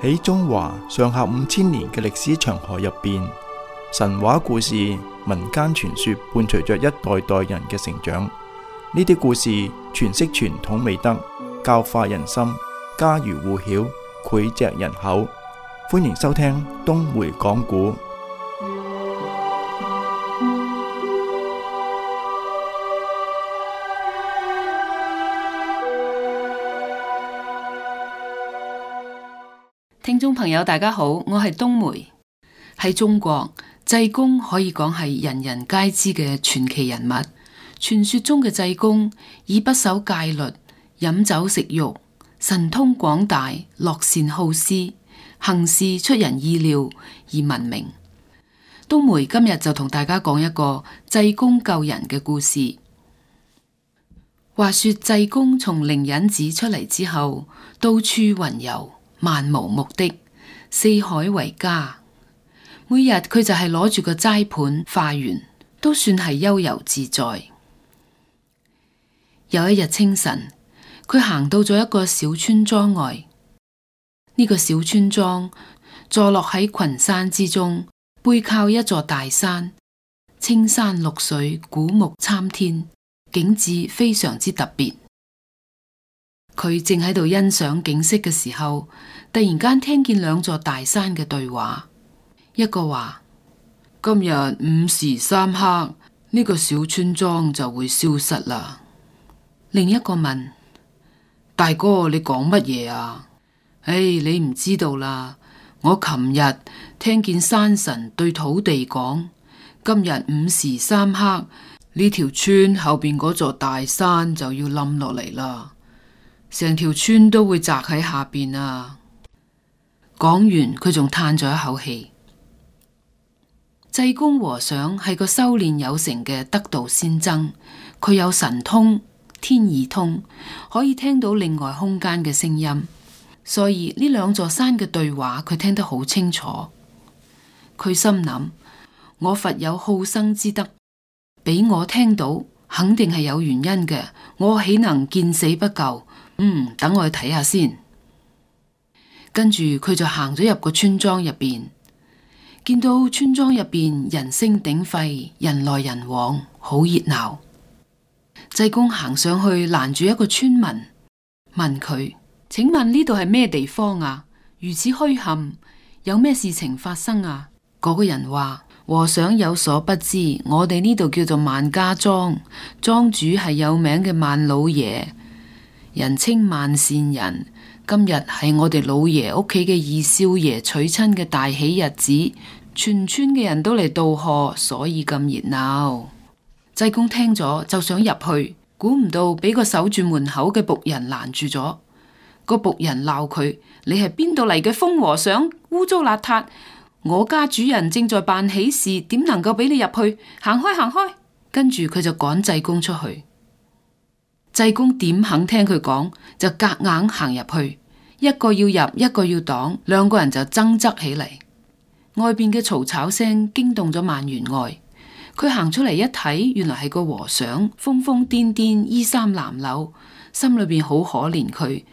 喺中華上下5000年嘅歷史長河入邊，神話故事、民間傳說伴隨着一代代人嘅成長。呢啲故事詮釋傳統美德，教化人心，家喻戶曉，膾炙人口。歡迎收聽東梅講古。聽眾朋友大家好，我係冬梅。喺中國，濟公可以講係人人皆知嘅傳奇人物。傳說中嘅濟公以不守戒律、飲酒食肉、神通廣大、樂善好施、行事出人意料而聞名。冬梅今日就同大家講一個濟公救人嘅故事。話說濟公從靈隱寺出嚟之後，到處雲遊，漫無目的，四海為家。每日佢就係攞住個齋盤化緣，都算係悠遊自在。有一日清晨，佢行到咗一個小村莊外。呢個小村莊坐落喺群山之中，背靠一座大山，青山綠水，古木參天，景致非常之特別。佢正喺度欣賞景色嘅時候，突然間聽見兩座大山嘅對話。一個話：今日午時3刻，呢個小村莊就會消失啦。另一個問：大哥，你講乜嘢啊？你唔知道啦。我琴日聽見山神對土地講，今日午時3刻，呢條村後邊嗰座大山就要冧落嚟啦。成條村都會砸喺下邊啊！講完，佢仲嘆咗一口氣。濟公和尚係個修煉有成嘅得道仙僧，佢有神通、天耳通，可以聽到另外空間嘅聲音，所以呢兩座山嘅對話，佢聽得好清楚。佢心諗：我佛有好生之德，俾我聽到，肯定係有原因嘅。我豈能見死不救？等我去睇下先。跟住佢就行咗入個村莊入邊，見到村莊入邊人聲鼎沸，人來人往，好熱鬧。濟公行上去攔住一個村民，問佢：請問呢度係咩地方啊？如此墟冚，有咩事情發生啊？嗰個人話：和尚有所不知，我哋呢度叫做萬家莊，莊主係有名嘅萬老爺，人稱萬善人。今日係我哋老爺屋企嘅二少爺娶親嘅大喜日子，全村嘅人都嚟道賀，所以咁熱鬧。濟公聽咗就想入去，估唔到俾個守住門口嘅僕人攔住咗。個僕人鬧佢：你係邊度嚟嘅瘋和尚？污糟邋遢！我家主人正在辦喜事，點能夠俾你入去？行開，行開！跟住佢就趕濟公出去。濟公點肯聽佢講，就夾硬行入去，一個要入，一個要擋，兩個人就爭執起嚟。外邊嘅嘈吵聲驚動咗萬員外，佢行出嚟一睇，原來係個和尚，瘋瘋癲癲，衣衫襤褸，心裏邊好可憐佢，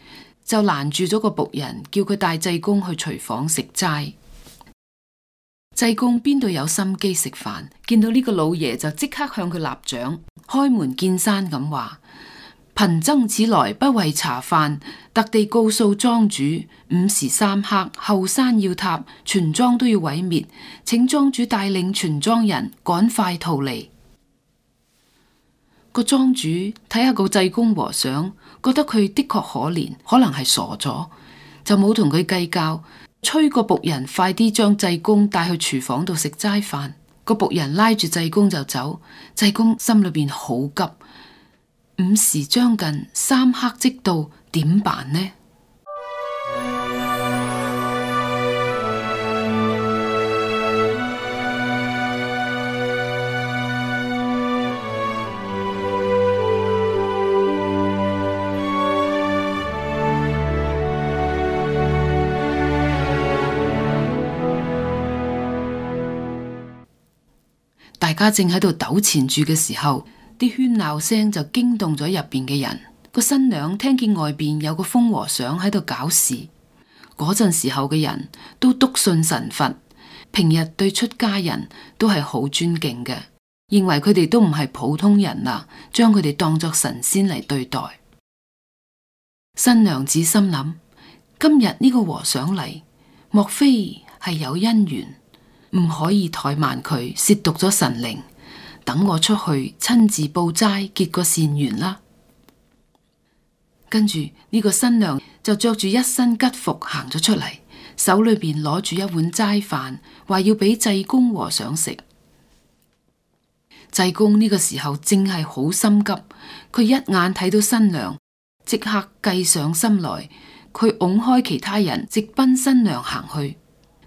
就攔住咗個僕人，叫佢帶濟公去廚房食齋。濟公邊度有心機食飯，見到呢個老爺就即刻向佢立掌，開門見山咁話：貧僧此來不為茶飯，特地告訴莊主，午時3刻後山要塌，全莊都要毀滅，請莊主帶領全莊人趕快逃離。個莊主睇下個濟公和尚，覺得佢的確可憐，可能係傻咗，就冇同佢計較，催個僕人快啲將濟公帶去廚房度食齋飯。個僕人拉住濟公就走，濟公心裏邊好急。午時將近，3刻即到，點辦呢？大家正喺度糾纏住嘅時候，啲喧鬧聲就驚動咗入邊嘅人。個新娘聽見外邊有個瘋和尚喺度搞事，嗰陣時候嘅人都篤信神佛，平日對出家人都係好尊敬嘅，認為佢哋都唔係普通人啦，將佢哋當作神仙嚟對待。新娘子心諗，今日呢個和尚嚟，莫非係有姻緣，唔可以怠慢佢，褻瀆咗神靈。等我出去親自報齋，結個善緣啦。跟住呢個新娘就着住一身吉服行咗出嚟，手裏邊攞住一碗齋飯，話要俾濟公和尚食。濟公呢個時候正係好心急，佢一眼睇到新娘，即刻計上心來，佢拱開其他人，直奔新娘行去。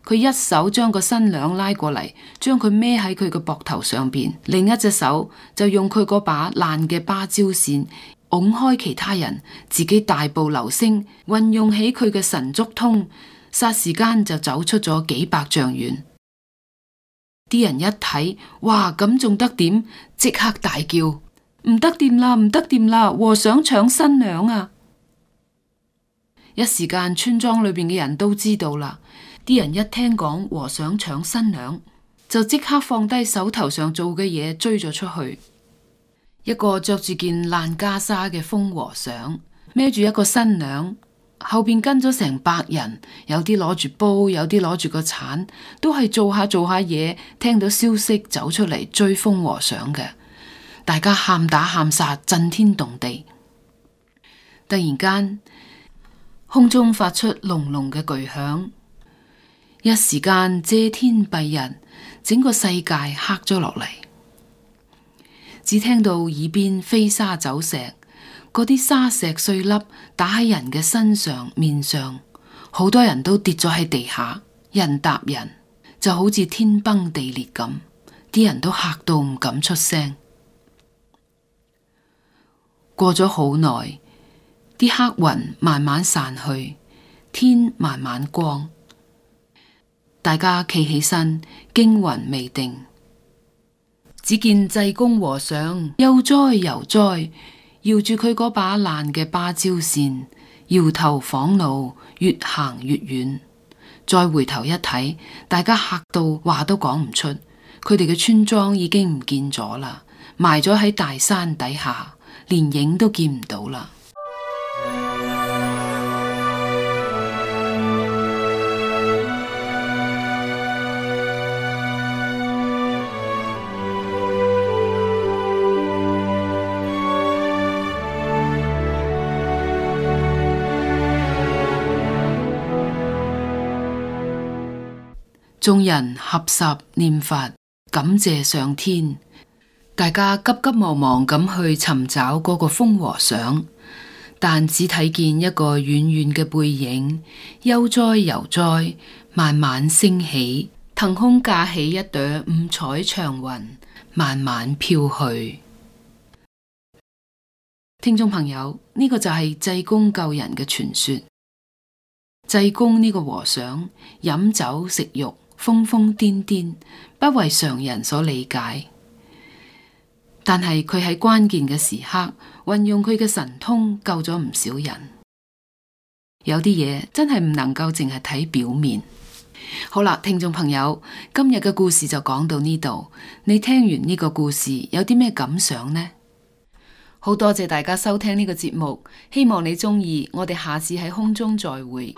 佢一手將個新娘拉過嚟，將佢孭喺佢嘅膊頭上邊，另一隻手就用佢嗰把爛嘅芭蕉扇拱開其他人，自己大步流星，運用起佢嘅神足通，霎時間就走出咗幾百丈遠。啲人一睇，哇，咁仲得點？即刻大叫：唔得掂啦，唔得掂啦！和尚搶新娘啊！一時間村莊裏邊嘅人都知道啦。啲人一聽講和尚搶新娘，就即刻放低手頭上做嘅嘢，追咗出去。一個着住件爛袈裟嘅瘋和尚，孭住一個新娘，後邊跟咗成百人，有啲攞住煲，有啲攞住個鏟，都係做下嘢，聽到消息走出嚟追瘋和尚嘅。大家喊打喊殺，震天動地。突然間，空中發出隆隆嘅巨響，一時間遮天蔽日，整個世界黑咗落嚟。只聽到耳邊飛沙走石，嗰啲沙石碎粒打喺人嘅身上面上，好多人都跌咗喺地下，人搭人，就好似天崩地裂咁，啲人都嚇到唔敢出聲。過咗好耐，啲黑雲慢慢散去，天慢慢光，大家企起身，驚魂未定。只見濟公和尚悠哉悠哉，搖住佢嗰把爛嘅芭蕉扇，搖頭晃腦，越行越遠。再回頭一睇，大家嚇到話都講唔出，佢哋嘅村莊已經唔見咗啦，埋咗喺大山底下，連影都見唔到啦。眾人合十念佛，感謝上天。大家急急忙忙咁去尋找嗰個瘋和尚，但只睇見一個遠遠嘅背影，悠哉悠哉，慢慢升起，騰空架起一朵五彩祥雲，慢慢飄去。聽眾朋友，呢個就係濟公救人嘅傳說。濟公呢個和尚飲酒食肉，瘋瘋癲癲，不為常人所理解。但係佢喺關鍵嘅時刻，運用佢嘅神通救咗唔少人。有啲嘢真係唔能夠淨係睇表面。好啦，聽眾朋友，今日嘅故事就講到呢度。你聽完呢個故事有啲咩感想呢？好多謝大家收聽呢個節目，希望你鍾意。我哋下次喺空中再會。